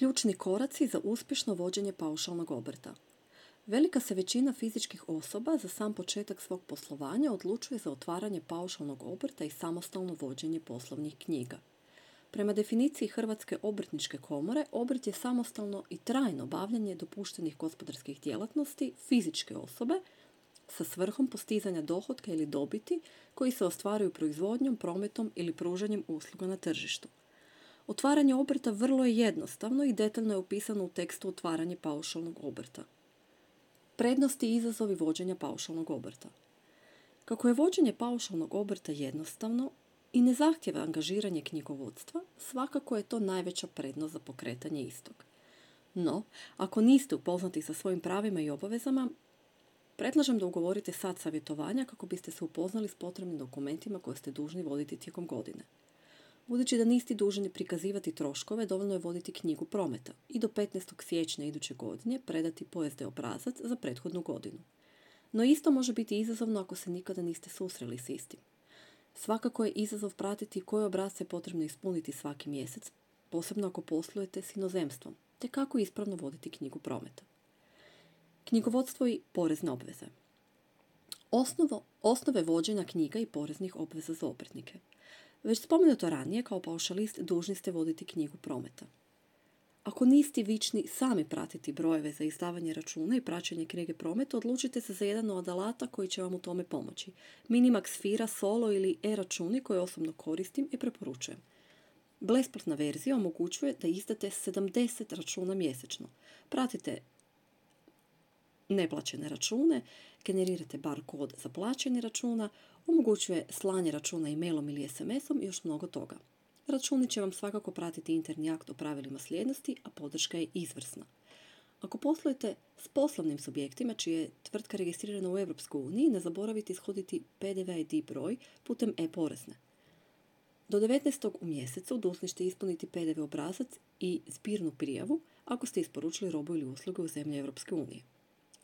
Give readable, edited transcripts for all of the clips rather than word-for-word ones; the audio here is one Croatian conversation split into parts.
Ključni koraci za uspješno vođenje paušalnog obrta. Velika se većina fizičkih osoba za sam početak svog poslovanja odlučuje za otvaranje paušalnog obrta i samostalno vođenje poslovnih knjiga. Prema definiciji Hrvatske obrtničke komore, obrt je samostalno i trajno bavljanje dopuštenih gospodarskih djelatnosti fizičke osobe sa svrhom postizanja dohotka ili dobiti koji se ostvaruju proizvodnjom, prometom ili pružanjem usluga na tržištu. Otvaranje obrta vrlo je jednostavno i detaljno je opisano u tekstu Otvaranje paušalnog obrta. Prednosti i izazovi vođenja paušalnog obrta. Kako je vođenje paušalnog obrta jednostavno i ne zahtijeva angažiranje knjigovodstva, svakako je to najveća prednost za pokretanje istog. No, ako niste upoznati sa svojim pravima i obavezama, predlažem da ugovorite sat savjetovanja kako biste se upoznali s potrebnim dokumentima koje ste dužni voditi tijekom godine. Budući da niste dužni prikazivati troškove, dovoljno je voditi knjigu prometa i do 15. siječnja iduće godine predati PSD obrazac za prethodnu godinu. No isto može biti izazovno ako se nikada niste susreli s istim. Svakako je izazov pratiti koje obrasce je potrebno ispuniti svaki mjesec, posebno ako poslujete s inozemstvom, te kako ispravno voditi knjigu prometa. Knjigovodstvo i porezne obveze. Osnove vođenja knjiga i poreznih obveza za obrtnike. Već spomenuto ranije, kao paušalist dužni ste voditi knjigu prometa. Ako niste vični sami pratiti brojeve za izdavanje računa i praćenje knjige prometa, odlučite se za jedan od alata koji će vam u tome pomoći. Minimax Fira, Solo ili e-računi koje osobno koristim i preporučujem. Besplatna verzija omogućuje da izdate 70 računa mjesečno. Pratite neplaćene račune, generirate bar kod za plaćanje računa, omogućuje slanje računa e-mailom ili SMS-om i još mnogo toga. Računi će vam svakako pratiti interni akt o pravilima slijednosti, a podrška je izvrsna. Ako poslujete s poslovnim subjektima čija je tvrtka registrirana u EU, ne zaboravite ishoditi PDV ID broj putem e-porezne. Do 19. u mjesecu dužni ste ispuniti PDV obrazac i zbirnu prijavu ako ste isporučili robu ili usluge u zemlje EU.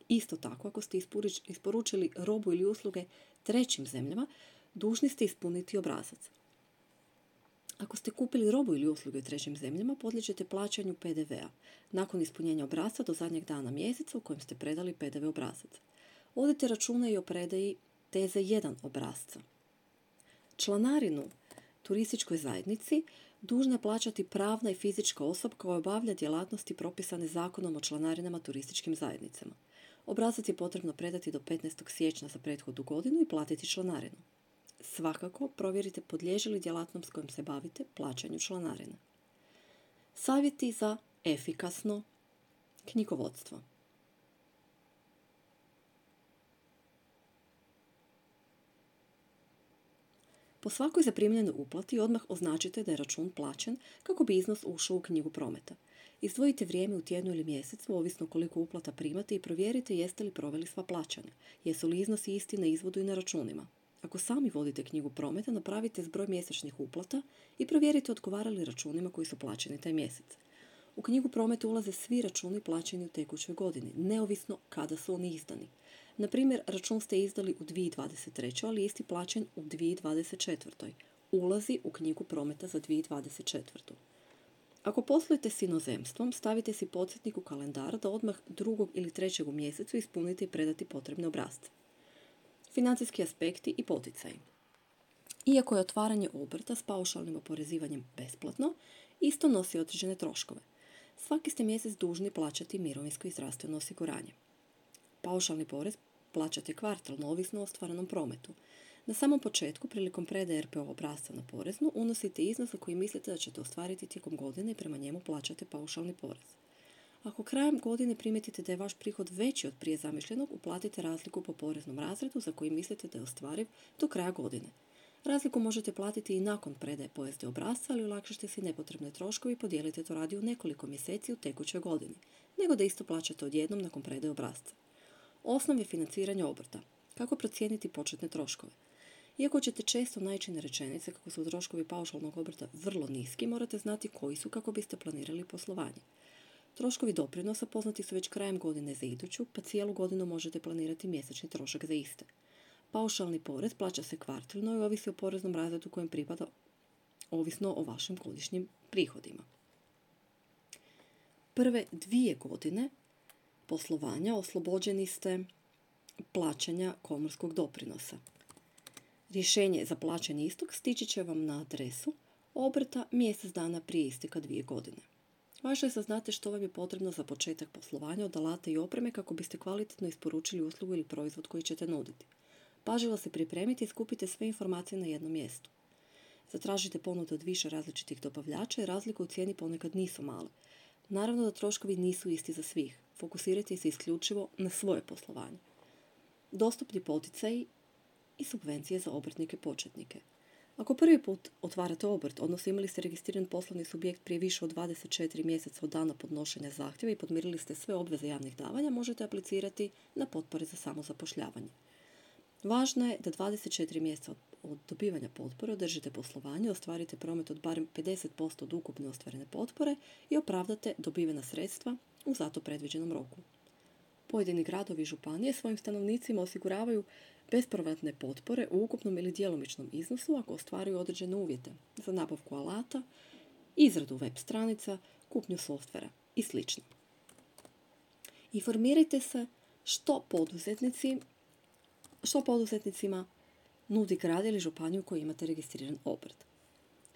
Isto tako, ako ste isporučili robu ili usluge trećim zemljama, dužni ste ispuniti obrazac. Ako ste kupili robu ili usluge u trećim zemljama, podliježete plaćanju PDV-a nakon ispunjenja obrasca do zadnjeg dana mjeseca u kojem ste predali PDV obrazac. Vodite računa i o predaji TZ1 obrasca. Članarinu turističkoj zajednici dužna je plaćati pravna i fizička osoba koja obavlja djelatnosti propisane Zakonom o članarinama turističkim zajednicama. Obrazac je potrebno predati do 15. siječnja za prethodnu godinu i platiti članarinu. Svakako provjerite podliježe li djelatnost s kojom se bavite plaćanju članarine. Savjeti za efikasno knjigovodstvo. Po svakoj zaprimljenoj uplati odmah označite da je račun plaćen kako bi iznos ušao u knjigu prometa. Izdvojite vrijeme u tjednu ili mjesecu, ovisno koliko uplata primate i provjerite jeste li proveli sva plaćanja. Jesu li iznosi isti na izvodu i na računima. Ako sami vodite knjigu prometa, napravite zbroj mjesečnih uplata i provjerite odgovara li računima koji su plaćeni taj mjesec. U knjigu prometa ulaze svi računi plaćeni u tekućoj godini, neovisno kada su oni izdani. Na primjer, račun ste izdali u 2023. ali isti plaćen u 2024. Ulazi u knjigu prometa za 2024. Ako poslujete s inozemstvom, stavite si podsjetnik u kalendar da odmah 2. ili 3. u mjesecu ispunite i predati potrebne obrasce. Financijski aspekti i poticaji. Iako je otvaranje obrta s paušalnim oporezivanjem besplatno, isto nosi određene troškove. Svaki ste mjesec dužni plaćati mirovinsko i zdravstveno osiguranje. Paušalni porez plaćate kvartalno, ovisno o ostvarenom prometu. Na samom početku, prilikom predaje RPO obrasca na poreznu, unosite iznos za koji mislite da ćete ostvariti tijekom godine i prema njemu plaćate paušalni porez. Ako krajem godine primijetite da je vaš prihod veći od prije zamišljenog, uplatite razliku po poreznom razredu za koji mislite da je ostvariv do kraja godine. Razliku možete platiti i nakon predaje PSD obrasca, ali olakšite si nepotrebne troškove i podijelite to radi u nekoliko mjeseci u tekućoj godini, nego da isto plaćate odjednom nakon predaje obrasca. Osnove financiranja obrta. Kako procijeniti početne troškove? Iako ćete često naići na rečenice kako su troškovi paušalnog obrta vrlo niski, morate znati koji su kako biste planirali poslovanje. Troškovi doprinosa poznati su već krajem godine za iduću, pa cijelu godinu možete planirati mjesečni trošak za iste. Paušalni porez plaća se kvartalno i ovisi o poreznom razredu kojem pripada, ovisno o vašim godišnjim prihodima. prve 2 godine poslovanja oslobođeni ste plaćanja komorskog doprinosa. Rješenje za plaćanje istog stići će vam na adresu obrta mjesec dana prije isteka 2 godine. Važno je da znate što vam je potrebno za početak poslovanja od alata i opreme kako biste kvalitetno isporučili uslugu ili proizvod koji ćete nuditi. Pažljivo se pripremite i skupite sve informacije na jednom mjestu. Zatražite ponudu od više različitih dobavljača i razlike u cijeni ponekad nisu male. Naravno da troškovi nisu isti za svih. Fokusirajte se isključivo na svoje poslovanje. Dostupni poticaji i subvencije za obrtnike početnike. Ako prvi put otvarate obrt, odnosno imali ste registriran poslovni subjekt prije više od 24 mjeseca od dana podnošenja zahtjeva i podmirili ste sve obveze javnih davanja, možete aplicirati na potpore za samozapošljavanje. Važno je da 24 mjeseca od dobivanja potpore održite poslovanje, ostvarite promet od barem 50% od ukupne ostvarene potpore i opravdate dobivena sredstva u zato predviđenom roku. Pojedini gradovi i županije svojim stanovnicima osiguravaju bespovratne potpore u ukupnom ili djelomičnom iznosu ako ostvaruju određene uvjete za nabavku alata, izradu web stranica, kupnju softvera i sl. Informirajte se što poduzetnicima nudi grad ili županiju koji imate registriran obrt.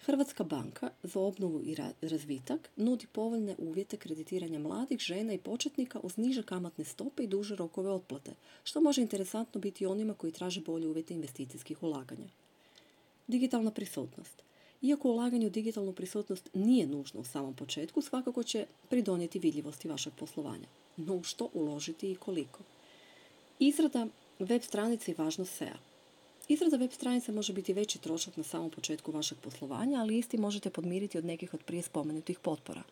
Hrvatska banka za obnovu i razvitak nudi povoljne uvjete kreditiranja mladih, žena i početnika uz niže kamatne stope i duže rokove otplate, što može interesantno biti onima koji traže bolje uvjete investicijskih ulaganja. Digitalna prisutnost. Iako ulaganje u digitalnu prisutnost nije nužno u samom početku, svakako će pridonijeti vidljivosti vašeg poslovanja. No u što uložiti i koliko? Izrada web stranice i važnost SEO. Izrada web stranice može biti veći trošak na samom početku vašeg poslovanja, ali isti možete podmiriti od nekih od prije spomenutih potpora.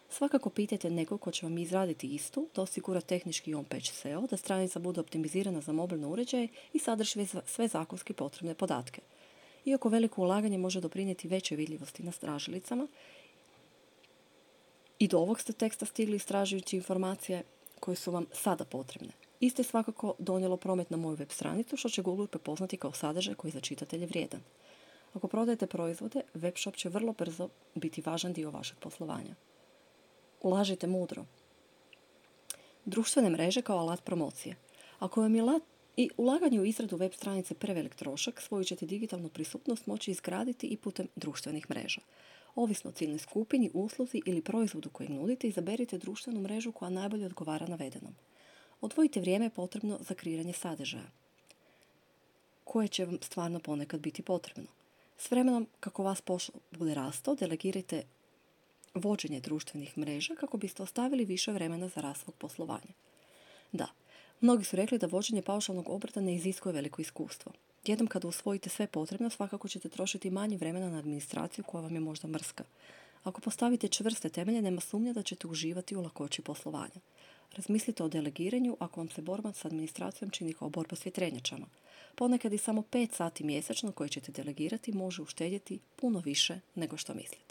Svakako pitajte nekog ko će vam izraditi istu, da osigura tehnički on-page SEO, da stranica bude optimizirana za mobilne uređaje i sadrži sve zakonski potrebne podatke. Iako veliko ulaganje može doprinijeti većoj vidljivosti na tražilicama, i do ovog ste teksta stigli istražujući informacije koje su vam sada potrebne. Iste svakako donijelo promet na moju web stranicu, što će Google prepoznati kao sadržaj koji za čitatelje vrijedan. Ako prodajete proizvode, web shop će vrlo brzo biti važan dio vašeg poslovanja. Ulažite mudro. Društvene mreže kao alat promocije. Ako vam je ulaganje u izradu web stranice prevelik trošak, svoju ćete digitalnu prisutnost moći izgraditi i putem društvenih mreža. Ovisno o ciljnoj skupini, usluzi ili proizvodu kojeg nudite, izaberite društvenu mrežu koja najbolje odgovara navedenom. Odvojite vrijeme potrebno za kreiranje sadržaja, koje će vam stvarno ponekad biti potrebno. S vremenom, kako vas posao bude rastao, delegirajte vođenje društvenih mreža kako biste ostavili više vremena za rast svog poslovanja. Da, mnogi su rekli da vođenje paušalnog obrta ne iziskuje veliko iskustvo. Jednom kada usvojite sve potrebno, svakako ćete trošiti manje vremena na administraciju koja vam je možda mrska. Ako postavite čvrste temelje, nema sumnja da ćete uživati u lakoći poslovanja. Razmislite o delegiranju ako vam se borba s administracijom čini kao borba s vjetrenjačama. Ponekad i samo 5 sati mjesečno koje ćete delegirati može uštedjeti puno više nego što mislite.